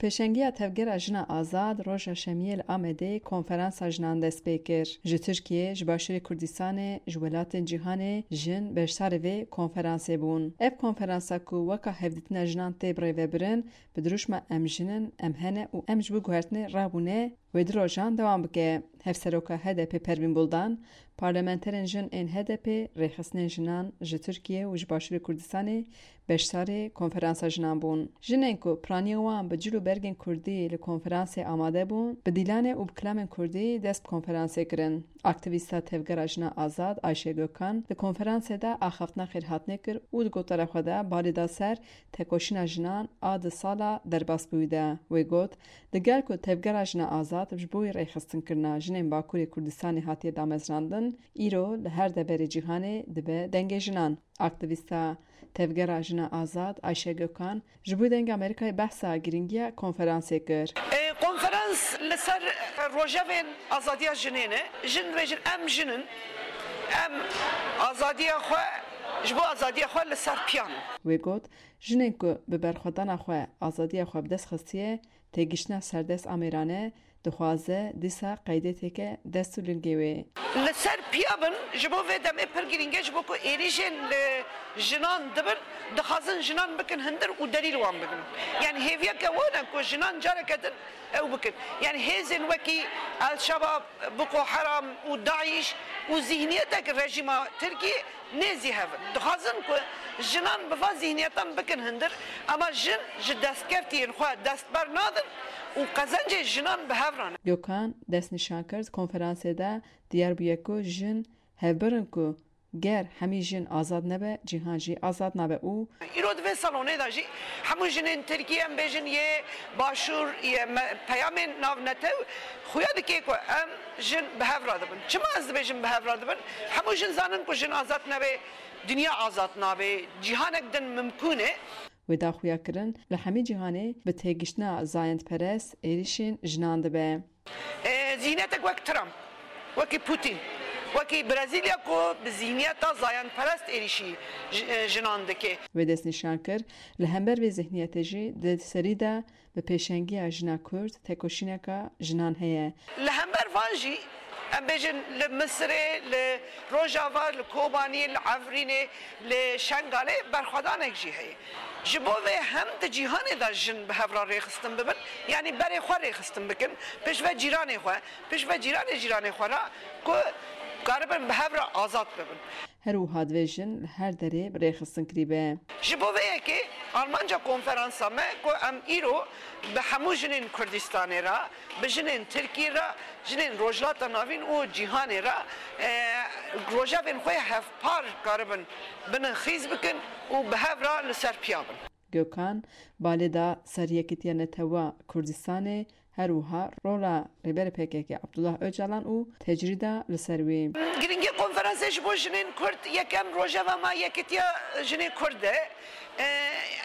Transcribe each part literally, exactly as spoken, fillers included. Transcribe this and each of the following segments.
Pêşengiya Tevgera Jina Azad roja Şemiyê li Amedê konferansa jinan dest pê kir. Ji Tirkiyê, ji Başûrê Kurdistanê, ji welatên cîhanê jin beşdarî vê konferansê bûn. Ev konferansa ku weka hevdîtina jinan tê birêvebirin, bi dirûşma Em jin in, em hene û em ji bo guhertinê rabûne, wê du rojan dewam bike. Hevseroka H D P Pervîn Buldan, parlamenterên jin ên H D P, rêxistinên jinan ji Tirkiye û ji Başûrê Kurdistanê beşdarî konferansa jinan bûn. Jinên ku piraniya wan bi cil û bergên kurdî li konferansê amade bûn, bi dîlanê û bi kilamên kurdî dest bi konferansê kirin. Aktîvîsta Tevgera Jina Azad Ayşe Gökhan li konferansê de axaftina xêrhatinê kir û di gotara xwe de balê da ser tekoşîna jinan a du sala derbasbûyî de. Wê got, Digel ku Tevgera Jina Azad ji bo rêxistinkirina jinên Bakurê Kurdistanê hatiye damezrandin, îro li her deverê cîhanê dibe dengê jinan. Aktîvîsta Tevgera Jina Azad Ayşe Gökhan ji bo Dengê Amerîkayê behsa girîngiya konferansê kir. E, konferans li ser rojevên azadiya jinê ne. Jin dibêjin, em jin in, em azadiya xwe, ji bo azadiya xwe li ser piyan in. Wê got, Jinên ku bi berxwedana xwe azadiya xwe bi dest xistiye, têgiştina serdest a mêrane, dixwaze dîsa qeydê têke dest û lingê wê. Li ser piya bin, ji bo vê demê pir girîng e, ji bo ku êrîşên li jinan dibin, dixwazin jinan bikin hundir û delîl wan bigrin. Yani hêviyeke wan e ku jinan careke din ew bikin. Yani hêzên wekî El-Şebab, Boko Haram û DAIŞ û zihniyetek rejîma Tirkiyê nêzî hev in. Dixwazin ku jinan bi van zihniyetan bikin hundir, ama jin ji destkeftiyên xwe dest bernadin û qezencê jinan bi hev re ne. Gökhan destnîşan kir, di konferansê de diyar bûye ku jin hevbir in ku ger hemî jin azad nebe, cîhan jî azad nabe û Îro di vê salonê de jî hemû jinên Tirkiyê, em bêjin yê Başûr, yê me-, peyamên navnetew xuya dike ku em jin bi hev re dibin. Çima ez dibêjim bi hev re dibin? Hemû jin zanin ku jin azad nebe, dinya azad nabe, cîhanek din mimkûn e. Wê da xuya kirin, li hemî cîhanê bi têgiştina zayendperest êrîşên jinan dibe. E, zihniyetek wek Trump, wekî Putin, wekî Brezîlya ku bi zihniyeta zayendperest êrîşî ji-, e, jinan dike. Wê destnîşan kir, li hember vê zihniyetê jî di serî de bi pêşengiya jina Kurd tekoşîneka jinan heye. Li hember van jî, em bêjin, li Misirê, li Rojava, li Kobaniyê, li Efrînê, li Şengalê berxwedanek jî heye. Ji bo vê hem di cîhanê de jin bi hev re rêxistin bibin, yanî berê xwe rêxistin bikin, pêşve cîranê xwe, pêşve cîranê cîranê xwe re ku karibin bi hev re azad bibin. Her wiha divê jin li her derê bi rêxistin kirî be. Ji bo vê yekê armanca konferansa me ku em îro bi hemû jinên Kurdistanê re, bi jinên Tirkiyê re, jinên Rojhilata Navîn û cîhanê re, e, rojevên xwe hevpar karibin binin xîz bikin û bi hev re li ser piya bin. Gökhan balê da ser Yekîtiya Netewa Kurdistanê, her wiha rola Rêberê P K K Abdullah Ocalan û tecrîda li ser wî. Girîngî konferansê ji bo jinên Kurd, yekem rojeva me Yekîtiya Jinê Kurd e. E,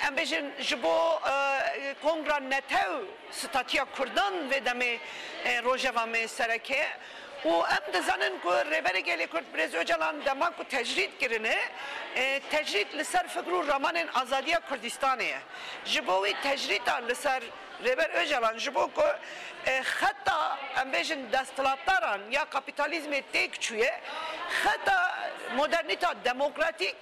em bêjin ji bo, e, Kongra Netew statîya Kurdan vê demê, e, rojeva me sereke. Û em dizanin ku Rêberê Gelê Kurd Birêz Ocalan dema ku tecrîd kirine, e, tecrîd li ser fikr û ramanên azadiya Kurdistanê ye. Ji bo wî tecrîda li ser Rêber Ocalan ji bo ku, e, xeta, em bêjin, desthilatdaran ya kapîtalîzmê têk çûye, xeta modernîta demokratîk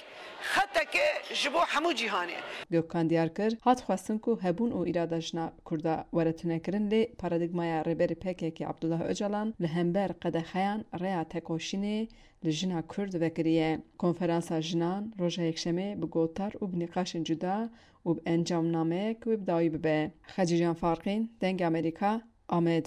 xeteke ji bo hemû cîhanê. Gökhan diyar kir, hat xwestin ku hebûn û îrada jina Kurda were tunekirin, lê paradîgmaya Rêberê P K K Abdullah Ocalan li hember qedexeyan rêya tekoşînê li jina Kurd vekiriye. Konferansa jinan roja Yekşemê bi gotar û bi nîqaşên cuda û bi encamnameyek wê bi dawî bibe. Xecîcan Farqîn, Dengê Amerîka, Amed.